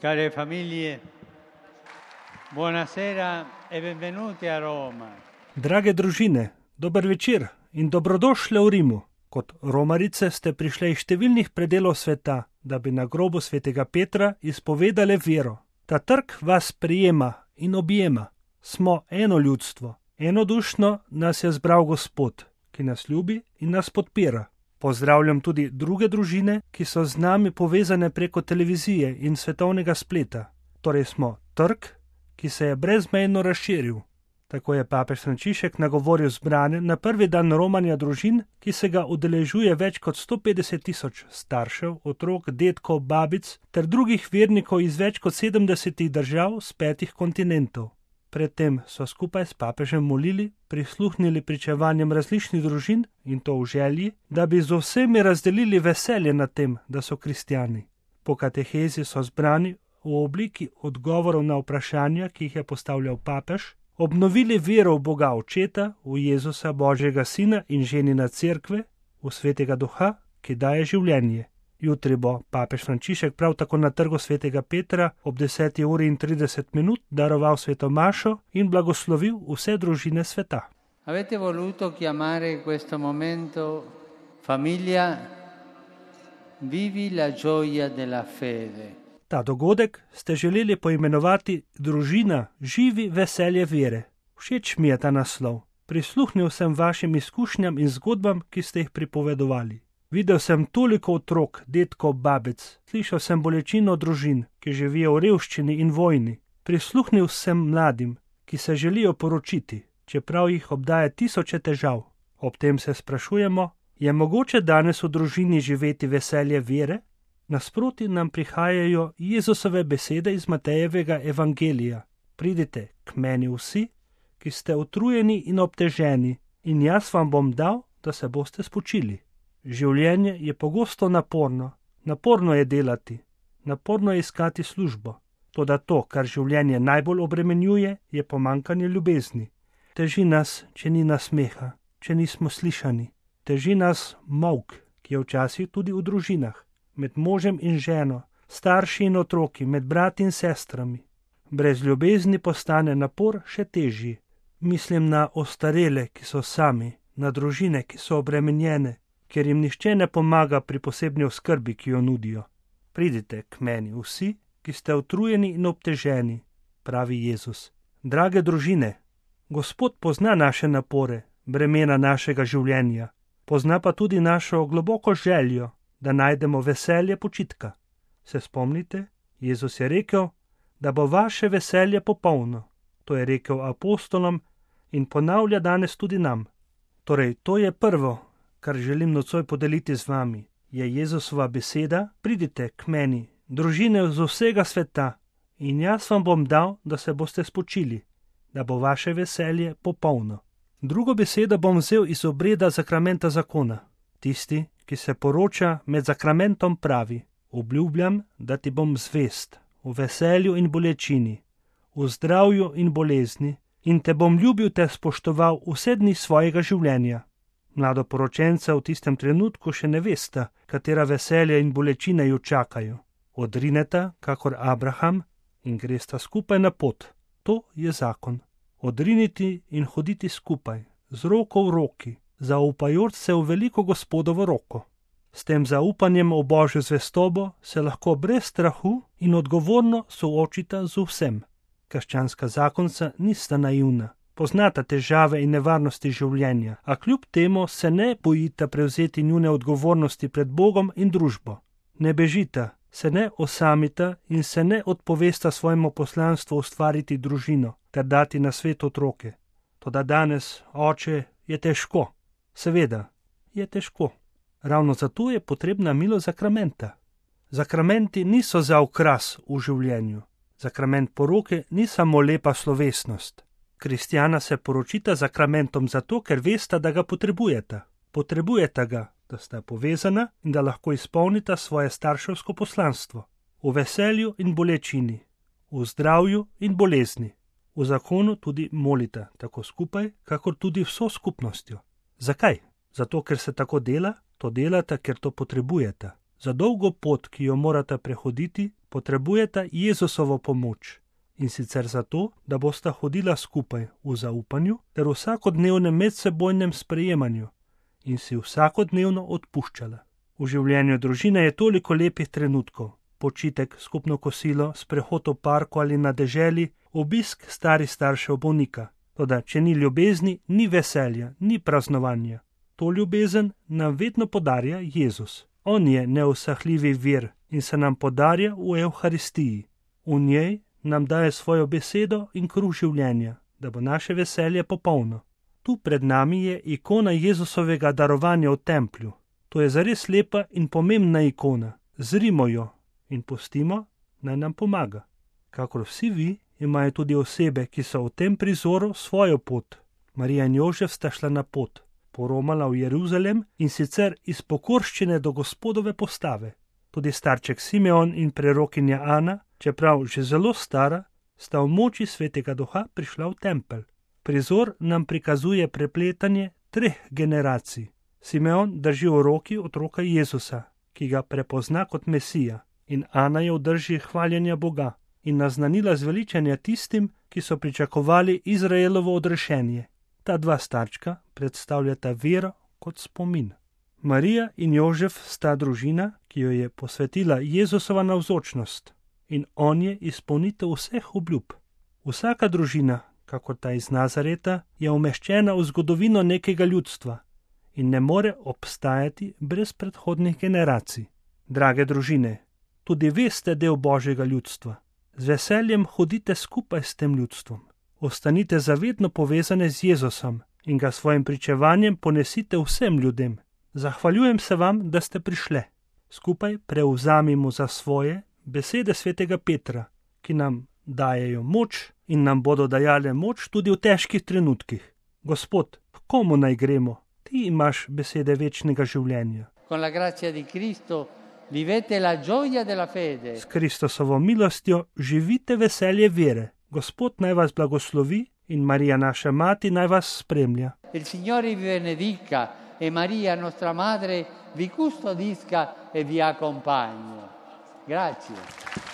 Care famiglie, buonasera e benvenuti a Roma. Drage družine, dober večer in dobrodošli v Rimu. Kot Romarice ste prišli iz številnih predelov sveta, da bi na grobu svetega Petra izpovedali vero. Ta trg vas prijema in objema. Smo eno ljudstvo. Enodušno nas je zbral Gospod, ki nas ljubi in nas podpira. Pozdravljam tudi druge družine, ki so z nami povezane preko televizije in svetovnega spleta. Torej smo trg, ki se je brezmejno razširil. Tako je papež Frančišek nagovoril zbrane na prvi dan romanja družin, ki se ga udeležuje več kot 150.000 staršev, otrok, dedkov, babic ter drugih vernikov iz več kot 70 držav z 5 kontinentov. Predtem so skupaj s papežem molili, prisluhnili pričevanjem različnih družin in to v želji, da bi z vsemi razdelili veselje nad tem, da so kristjani. Po katehezi so zbrani v obliki odgovorov na vprašanja, ki jih je postavljal papež, obnovili vero v Boga Očeta, v Jezusa Božjega Sina in ženina Cerkve, v Svetega Duha, ki daje življenje. Jutri bo papež Frančišek prav tako na trgu svetega Petra ob 10:30 daroval sveto mašo in blagoslovil vse družine sveta. Avete voluto chiamare questo momento famiglia vivi la gioia della fede. Ta dogodek ste želeli poimenovati družina živi veselje vere. Všeč mi je ta naslov. Prisluhnil sem vašim izkušnjam in zgodbam, ki ste jih pripovedovali. Videl sem toliko otrok, dedkov, babic, slišal sem bolečino družin, ki živijo v revščini in vojni. Prisluhnil sem mladim, ki se želijo poročiti, čeprav jih obdaja tisoče težav. Ob tem se sprašujemo, je mogoče danes v družini živeti veselje vere? Nasproti nam prihajajo Jezusove besede iz Matejevega evangelija. Pridite k meni vsi, ki ste utrujeni in obteženi, in jaz vam bom dal, da se boste spočili. Življenje je pogosto naporno. Naporno je delati, naporno je iskati službo. Toda to, kar življenje najbolj obremenjuje, je pomanjkanje ljubezni. Teži nas, če ni nasmeha, če nismo slišani. Teži nas molk, ki je včasih tudi v družinah, med možem in ženo, starši in otroki, med brati in sestrami. Brez ljubezni postane napor še težji. Mislim na ostarele, ki so sami, na družine, ki so obremenjene, ker jim nihče ne pomaga pri posebni oskrbi, ki jo nudijo. Pridite k meni vsi, ki ste utrujeni in obteženi, pravi Jezus. Drage družine, Gospod pozna naše napore, bremena našega življenja, pozna pa tudi našo globoko željo, da najdemo veselje počitka. Se spomnite? Jezus je rekel, da bo vaše veselje popolno. To je rekel apostolom in ponavlja danes tudi nam. Torej, to je prvo, kar želim nocoj podeliti z vami, je Jezusova beseda, pridite k meni, družine z vsega sveta, in jaz vam bom dal, da se boste spočili, da bo vaše veselje popolno. Drugo besedo bom vzel iz obreda zakramenta zakona. Tisti, ki se poroča med zakramentom pravi, obljubljam, da ti bom zvest, v veselju in bolečini, v zdravju in bolezni, in te bom ljubil ter spoštoval vse dni svojega življenja. Mladoporočenca v tistem trenutku še ne vesta, katera veselja in bolečine ju čakajo. Odrineta, kakor Abraham, in gresta skupaj na pot. To je zakon. Odriniti in hoditi skupaj, z roko v roki, zaupajoč se v veliko Gospodovo roko. S tem zaupanjem v Božjo zvestobo se lahko brez strahu in odgovorno soočita z vsem. Krščanska zakonca nista naivna. Poznata težave in nevarnosti življenja, a kljub temu se ne bojita prevzeti njune odgovornosti pred Bogom in družbo. Ne bežita, se ne osamita in se ne odpovesta svojemu poslanstvu ustvariti družino ter dati na svet otroke. Toda danes, oče, je težko. Seveda, je težko. Ravno zato je potrebna milost zakramenta. Zakramenti niso za okras v življenju. Zakrament poroke ni samo lepa slovesnost. Kristjana se poročita zakramentom zato, ker vesta, da ga potrebujeta. Potrebujeta ga, da sta povezana in da lahko izpolnita svoje starševsko poslanstvo. V veselju in bolečini, v zdravju in bolezni. V zakonu tudi molita, tako skupaj, kakor tudi vso skupnostjo. Zakaj? Zato, ker se tako dela, to delata, ker to potrebujeta. Za dolgo pot, ki jo morata prehoditi, potrebujeta Jezusovo pomoč. In sicer zato, da bosta hodila skupaj v zaupanju ter vsakodnevnem medsebojnem sprejemanju in si vsakodnevno odpuščala. V življenju družine je toliko lepih trenutkov. Počitek, skupno kosilo, sprehod v parku ali na deželi, obisk starih staršev bolnika. Toda, če ni ljubezni, ni veselja, ni praznovanja. To ljubezen nam vedno podarja Jezus. On je neusahljivi vir in se nam podarja v Evharistiji. V njej nam daje svojo besedo in kruh življenja, da bo naše veselje popolno. Tu pred nami je ikona Jezusovega darovanja v templju. To je zares lepa in pomembna ikona. Zrimo jo in pustimo, naj nam pomaga. Kakor vsi vi, imajo tudi osebe, ki so v tem prizoru svojo pot. Marija in Jožef sta šla na pot, poromala v Jeruzalem in sicer iz pokorščine do Gospodove postave. Tudi starček Simeon in prerokinja Ana, čeprav že zelo stara, sta v moči svetega duha prišla v tempelj. Prizor nam prikazuje prepletanje 3 generacij. Simeon drži v roki otroka Jezusa, ki ga prepozna kot Mesija, in Ana je v drži hvaljenja Boga in naznanila zveličanja tistim, ki so pričakovali Izraelovo odrešenje. Ta 2 starčka predstavljata vero kot spomin. Marija in Jožef sta družina, ki jo je posvetila Jezusova navzočnost, in on je izpolnitev vseh obljub. Vsaka družina, kakor ta iz Nazareta, je umeščena v zgodovino nekega ljudstva in ne more obstajati brez predhodnih generacij. Drage družine, tudi vi ste del Božjega ljudstva. Z veseljem hodite skupaj s tem ljudstvom. Ostanite zavedno povezane z Jezusom in ga svojim pričevanjem ponesite vsem ljudem. Zahvaljujem se vam, da ste prišle. Skupaj prevzamimo za svoje besede svetega Petra, ki nam dajejo moč in nam bodo dajale moč tudi v težkih trenutkih. Gospod, k komu naj gremo? Ti imaš besede večnega življenja. Con la grazia di Cristo vivete la gioia della fede. S Kristosovo milostjo živite veselje vere. Gospod naj vas blagoslovi in Marija naša mati naj vas spremlja. Il Signore vi benedica e Maria nostra madre vi custodisca e vi accompagni. Grazie.